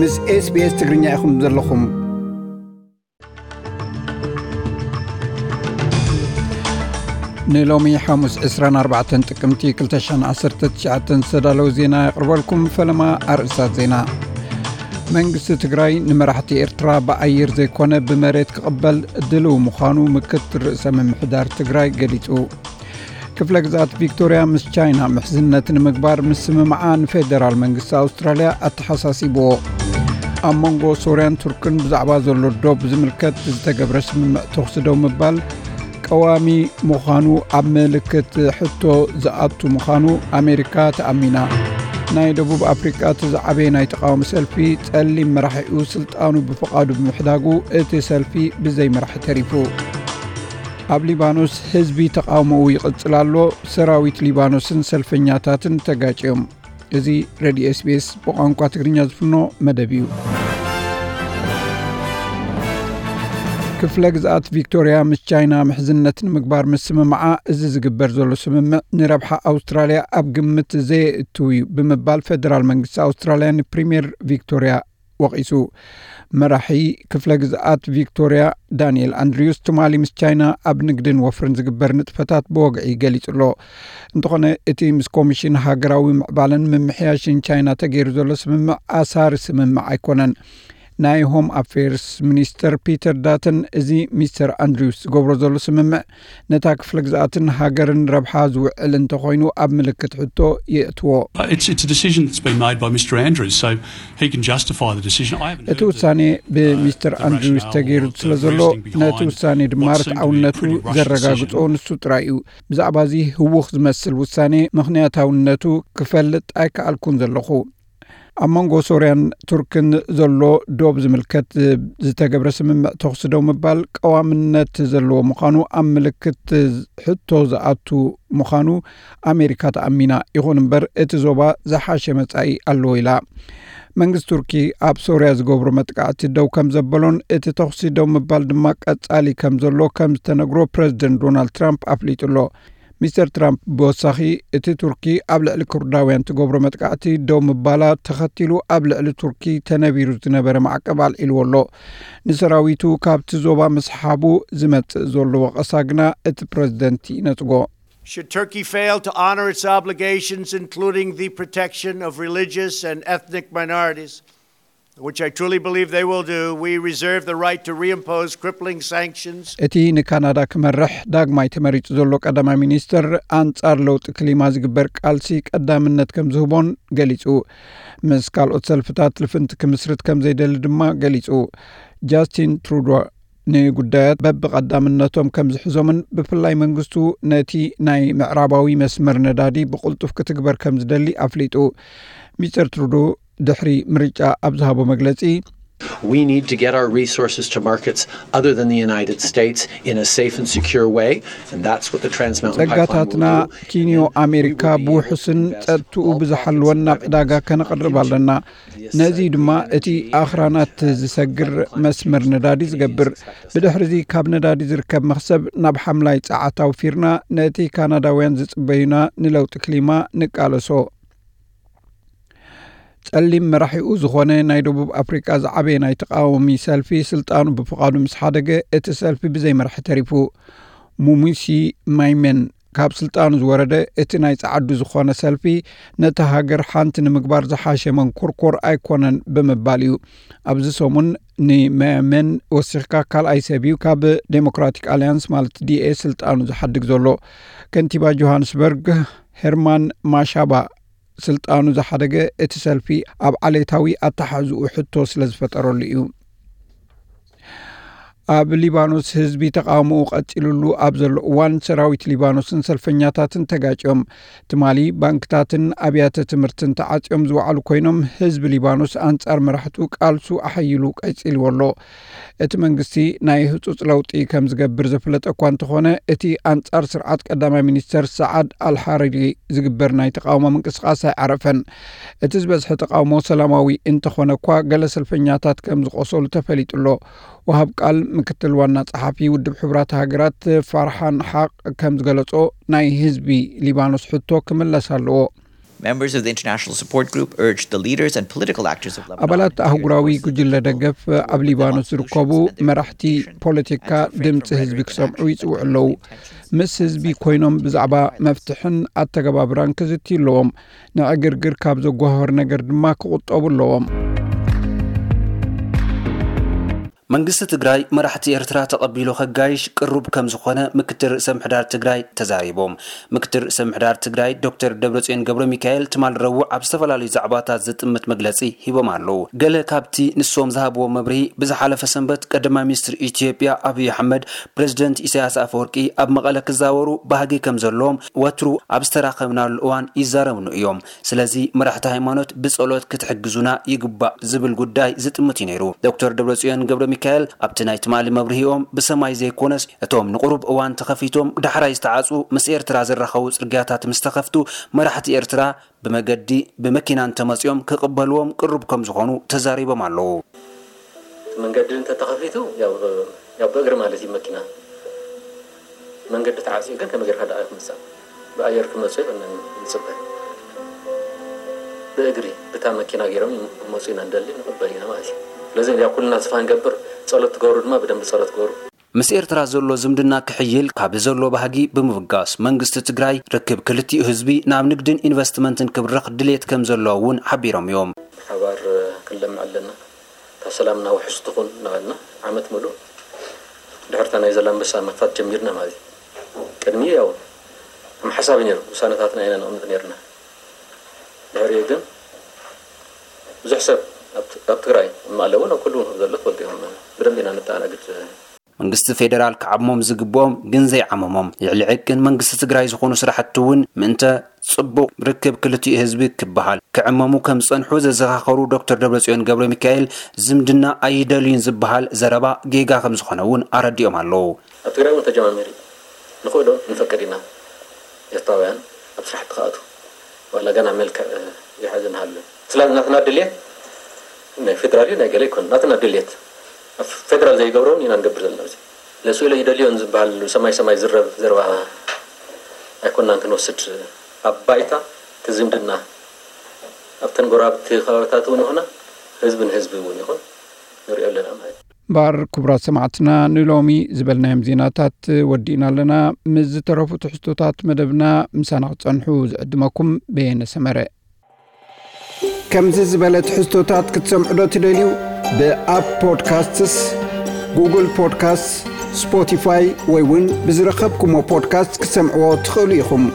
ምስ SBS ትግርኛ ኢኹም ዘለኹም። ንሎሚ ሓሙስ ዕስራን ኣርባዕተን ጥቅምቲ ክልተ ሽሕን ዓሰርተ ትሽዓተን ዝተዳለወ ዜና የቕርበልኩም። ፈለማ ኣርእስታት ዜና። መንግስቲ ትግራይ ንመራሕቲ ኤርትራ ብኣየር ዘይኮነ ብመሬት ክቕበል ድልው ምዃኑ ምክትል ርእሰ ምምሕዳር ትግራይ ገሊጹ። ክፍለ ግዝኣት ቪክቶርያ ምስ ቻይና ምሕዝነት ንምግባር ምስምማዓ ንፌደራል መንግስቲ ኣውስትራልያ ኣተሓሳሲብዎ። ኣብ መንጎ ሶርያን ቱርክን ብዛዕባ ዘሎ ዶብ ዝምልከት ዝተገብረ ስምምዕ ተኹሲ ደው ምባል ቀዋሚ ምዃኑ ኣብ ምልክት ሕቶ ዝኣቱ ምዃኑ ኣሜሪካ ተኣሚና። ናይ ደቡብ ኣፍሪቃ እቲ ዝዓበየ ናይ ተቃውሞ ሰልፊ ጸሊም መራሒኡ ስልጣኑ ብፍቓዱ ብምሕዳጉ እቲ ሰልፊ ብዘይ መራሒ ተሪፉ። ኣብ ሊባኖስ ህዝቢ ተቃውሞኡ ይቕጽል ኣሎ። ሰራዊት ሊባኖስን ሰልፈኛታትን ተጋጭዮም። እዚ ሬድዮ SBS ብቋንቋ ትግርኛ ዝፍኖ መደብ እዩ። ክፍለ ግዝኣት ቪክቶርያ ምስ ቻይና ምሕዝነት ንምግባር ምስምማዓ፣ እዚ ዝግበር ዘሎ ስምምዕ ንረብሓ ኣውስትራልያ ኣብ ግምት ዘየእትው እዩ ብምባል ፌደራል መንግስቲ ኣውስትራልያ ንፕሪምየር ቪክቶርያ ወቒሱ። መራሒ ክፍለ ግዝኣት ቪክቶርያ ዳንኤል ኣንድሪውስ ትማሊ ምስ ቻይና ኣብ ንግድን ወፍርን ዝግበር ንጥፈታት ብወግዒ ገሊጹ ኣሎ። እንተኾነ እቲ ምስ ኮሚሽን ሃገራዊ ምዕባለን ምምሕያሽን ቻይና ተገይሩ ዘሎ ስምምዕ ኣሳሪ ስምምዕ ኣይኮነን። ናይ ሆም ኣፌርስ ሚኒስተር ፒተር ዳተን እዚ ሚስተር ኣንድሪውስ ዝገብሮ ዘሎ ስምምዕ ነታ ክፍለ ግዝኣትን ሃገርን ረብሓ ዝውዕል እንተኾይኑ ኣብ ምልክት ሕቶ የእትዎ። It's, it's a decision that's been made by Mr Andrews, so he can justify the decision. I haven't እቲ ውሳኔ ብሚስተር ኣንድሪውስ ተገይሩ ስለ ዘሎ ነቲ ውሳኔ ድማ ርትዓውነቱ ዘረጋግጾ ንሱ ጥራይ እዩ። ብዛዕባ እዚ ህውኽ ዝመስል ውሳኔ ምኽንያታውነቱ ክፈልጥ ኣይከኣልኩን ዘለኹ። ኣብ መንጎ ሶርያን ቱርክን ዘሎ ዶብ ዝምልከት ዝተገብረ ስምምዕ ተኹሲ ደው ምባል ቀዋምነት ዘለዎ ምዃኑ ኣብ ምልክት ሕቶ ዝኣቱ ምዃኑ ኣሜሪካ ተኣሚና። ይኹን እምበር እቲ ዞባ ዝሓሸ መጻኢ ኣለዎ ኢላ። መንግስቲ ቱርኪ ኣብ ሶርያ ዝገብሮ መጥቃዕቲ ደው ከም ዘበሎን እቲ ተኹሲ ደው ምባል ድማ ቀጻሊ ከም ዘሎ ከም ዝተነግሮ ፕረዚደንት ዶናልድ ትራምፕ ኣፍሊጡ ኣሎ። ሚስተር ትራምፕ ብወሳኺ እቲ ቱርኪ ኣብ ልዕሊ ኩርዳውያን ትገብሮ መጥቃዕቲ ደው ምባላ ተኸቲሉ ኣብ ልዕሊ ቱርኪ ተነቢሩ ዝነበረ ማዕቀብ ኣልዒልዎ ኣሎ። ንሰራዊቱ ካብቲ ዞባ ምስሓቡ ዝመጽእ ዘሎ ወቐሳ ግና እቲ ፕረዚደንት ይነጽጎ። Should Turkey fail to honor its obligations, including the protection of religious and ethnic minorities, which I truly believe they will do, we reserve the right to reimpose crippling sanctions. እቲ ንካናዳ ክመርሕ ዳግማይ ተመሪጹ ዘሎ ቀዳማይ ሚኒስተር ኣንጻር ለውጢ ክሊማ ዝግበር ቃልሲ ቀዳምነት ከም ዝህቦን ገሊጹ። ምስ ካልኦት ሰልፍታት ልፍንቲ ክምስርት ከም ዘይደሊ ድማ ገሊጹ። ጃስቲን ትሩዶ ንጉዳያት በብቐዳምነቶም ከም ዝሕዞምን ብፍላይ መንግስቱ ነቲ ናይ ምዕራባዊ መስመር ነዳዲ ብቕልጡፍ ክትግበር ከም ዝደሊ ኣፍሊጡ። ሚስተር ትሩዶ ድሕሪ ምርጫ ኣብ ዝሃቦ መግለጺ፣ We need to get our resources to markets other than the United States in a safe and secure way, and that's what the Trans Mountain Pipeline ጸጋታትና will do. ኪንዮ ኣሜሪካ ብውሑስን ጸጥትኡ ብዝሓለወን ናብ ዕዳጋ ከነቕርብ ኣለና። ነዚ ድማ እቲ ኣኽራናት ዝሰግር መስመር ነዳዲ ዝገብር። ብድሕሪዚ ካብ ነዳዲ ዝርከብ መኽሰብ ናብ ሓምላይ ጸዓት ኣውፊርና ነቲ ካናዳውያን ዝጽበዩና ንለውጢ ክሊማ ንቃለሶ። ጸሊም መራሒኡ ዝኾነ ናይ ደቡብ ኣፍሪቃ ዝዓበየ ናይ ተቃዋሚ ሰልፊ ስልጣኑ ብፍቓዱ ምስ ሓደገ እቲ ሰልፊ ብዘይ መራሒ ተሪፉ። ሙሙሲ ማይመን ካብ ስልጣኑ ዝወረደ እቲ ናይ ጸዓዱ ዝኾነ ሰልፊ ነቲ ሃገር ሓንቲ ንምግባር ዝሓሸ መንኮርኮር ኣይኮነን ብምባል እዩ። ኣብዚ ሰሙን ንማይመን ወሲኽካ ካልኣይ ሰብ እዩ ካብ ዴሞክራቲክ ኣልያንስ ማለት ዲኤ ስልጣኑ ዝሓድግ ዘሎ። ከንቲባ ጆሃንስበርግ ሄርማን ማሻባ ስልጣኑ ዝሓደገ እቲ ሰልፊ ኣብ ዓሌታዊ ኣተሓሕዝኡ ሕቶ ስለ ዝፈጠረሉ እዩ። ኣብ ሊባኖስ ህዝቢ ተቃውሞኡ ቀጺሉሉ ኣብ ዘሎ እዋን ሰራዊት ሊባኖስን ሰልፈኛታትን ተጋጭዮም። ትማሊ ባንክታትን ኣብያተ ትምህርትን ተዓጽዮም ዝወዓሉ ኮይኖም ህዝቢ ሊባኖስ ኣንጻር መራሕቱ ቃልሱ ኣሐይሉ ቀጺልዎ ኣሎ። እቲ መንግስቲ ናይ ህጹጽ ለውጢ ከም ዝገብር ዘፍለጠ እኳ እንተኾነ እቲ ኣንጻር ስርዓት ቀዳማይ ሚኒስተር ሰዓድ ኣልሓሪሪ ዝግበር ናይ ተቃውሞ ምንቅስቃስ ኣይዓረፈን። እቲ ዝበዝሐ ተቃውሞ ሰላማዊ እንተኾነ እኳ ገለ ሰልፈኛታት ከም ዝቆሰሉ ተፈሊጡ ኣሎ። ወሃብ ቃል ምክትል ዋና ጸሓፊ ውድብ ሕቡራት ሃገራት ፋርሓን ሓቕ ከም ዝገለጾ ናይ ህዝቢ ሊባኖስ ሕቶ ክምለስ ኣለዎ። Members of the International Support Group urged the leaders and political actors of Lebanon. ኣባላት ኣህጉራዊ ጉጅለ ደገፍ ኣብ ሊባኖስ ዝርከቡ መራሕቲ ፖለቲካ ድምፂ ህዝቢ ክሰምዑ ይፅውዑ ኣለዉ። ምስ ህዝቢ ኮይኖም ብዛዕባ መፍትሕን ኣተገባብራን ክዝትዩ ኣለዎም። ንዕግርግር ካብ ዘጓሃህር ነገር ድማ ክቑጠቡ ኣለዎም። መንግስቲ ትግራይ መራሕቲ ኤርትራ ተቐቢሉ ከጋይሽ ቅሩብ ከም ዝኾነ ምክትል ርእሰ ምሕዳር ትግራይ ተዛሪቦም። ምክትል ርእሰ ምሕዳር ትግራይ ዶክተር ደብረጽዮን ገብረ ሚካኤል ትማል ረቡዕ ኣብ ዝተፈላለዩ ዛዕባታት ዝጥምት መግለጺ ሂቦም ኣለዉ። ገለ ካብቲ ንሶም ዝሃብዎ መብርሂ፣ ብዝሓለፈ ሰንበት ቀዳማይ ሚኒስትር ኢትዮጵያ ኣብይ ኣሕመድ ፕሬዚደንት ኢሳያስ ኣፈወርቂ ኣብ መቐለ ክዛወሩ ባህጊ ከም ዘለዎም ወትሩ ኣብ ዝተራኸብናሉ እዋን ይዛረቡኑ እዮም። ስለዚ መራሕቲ ሃይማኖት ብጸሎት ክትሕግዙና ይግባእ ዝብል ጉዳይ ዝጥምት እዩ ነይሩ። ዶክተር ደብረጽዮን ገብረ ሚካኤል ኣብቲ ናይ ትማሊ መብርሂኦም ብሰማይ ዘይኮነስ እቶም ንቁሩብ እዋን ተኸፊቶም ዳሕራይ ዝተዓጹ ምስ ኤርትራ ዝራኸቡ ጽርግያታት ምስ ተኸፍቱ መራሕቲ ኤርትራ ብመገዲ ብመኪና እንተመጺኦም ክቕበልዎም ቅሩብ ከም ዝኾኑ ተዛሪቦም ኣለዉ። መንገዲ እንተተኸፊቱ ያው ያው ብእግሪ ማለት እዩ መኪና መንገዲ ተዓፅዩ ግን ከመይ ጌርካ ደኣ ክምፃእ ብኣየር ክመፁ ይብለና ንፅበ ብእግሪ ብታ መኪና ገይሮም ክመፁ ኢና ንደሊ ንቕበል ኢና ማለት እዩ ስለዚ ያው ኩልና ተስፋ ንገብር ጸሎት ትገብሩ ድማ ብደንብ ጸሎት ትገብሩ ምስ ኤርትራ ዘሎ ዝምድና ክሕይል ካብ ዘሎ ባህጊ ብምብጋስ መንግስቲ ትግራይ ርክብ ክልቲኡ ህዝቢ ናብ ንግድን ኢንቨስትመንትን ክብርኽ ድሌት ከም ዘሎ እውን ሓቢሮም እዮም። ብሓባር ክንለምዕ ኣለና እታ ሰላምና ውሕስ ትኹን እናበልና ዓመት ሙሉእ ድሕርታ ናይ ዘላንበሳ ምኽፋት ጀሚርና ማለት እዩ ቅድሚ ያው ከም ሓሳብ ነይሩ ውሳነታትና ኢና ነቕምጥ ነይርና ድሕሪኡ ግን ብዙሕ ሰብ ኣብ ትግራይ ማለ እውን ኣብ ኩሉ ዘሎ ትፈልጡ ኢኹም ብደንብ ኢና ነተኣናግድ መንግስቲ ፌደራል ክዓሞም ዝግብኦም ግን ዘይዓመሞም ልዕሊ ዕቅን መንግስቲ ትግራይ ዝኾኑ ስራሕቲ እውን ምእንተ ፅቡቕ ርክብ ክልቲኡ ህዝቢ ክበሃል ክዕመሙ ከም ዝፀንሑ ዘዘኻኸሩ ዶክተር ደብረፅዮን ገብረ ሚካኤል ዝምድና ኣይደልዩን ዝበሃል ዘረባ ጌጋ ከም ዝኾነ እውን ኣረዲኦም ኣለዉ። ኣብ ትግራይ እውን ተጀማሚሩ ንኽእሎ ንፈቅድ ኢና ኤርትራውያን ኣብ ስራሕቲ ክኣትዉ ዋላ ገና መልክዕ ይሓዝ ንሃሉ ስላ ናትና ድልየት ናይ ፌደራል እዩ ናይ ገለ ይኮን ናትና ድልየት ፌደራል ዘይገብረውን ኢና ንገብር ዘለና እዚ ለስኢሎ ይደልዮን ዝበሃል ሰማይ ሰማይ ዝረብ ዘረባ ኣይኮናን ክንወስድ ኣብ ባይታ ትዝምድና ኣብተን ጎረባብቲ ከባቢታት እውን ይኹና ህዝቢ ንህዝቢ እውን ይኹን ንሪኦ ኣለና ማለት እዩ። እምበኣር ክቡራት ሰማዕትና ንሎሚ ዝበልናዮም ዜናታት ወዲእና ኣለና። ምስ ዝተረፉ ትሕዝቶታት መደብና ምሳና ክትጸንሑ ዝዕድመኩም በየነ ሰመረ። ከምዚ ዝበለ ትሕዝቶታት ክትሰምዑ ዶ ትደልዩ? ብኣፕ ፖድካስትስ፣ ጉግል ፖድካስትስ፣ ስፖቲፋይ ወይ እውን ብዝረኸብኩሞ ፖድካስት ክትሰምዕዎ ትኽእሉ ኢኹም።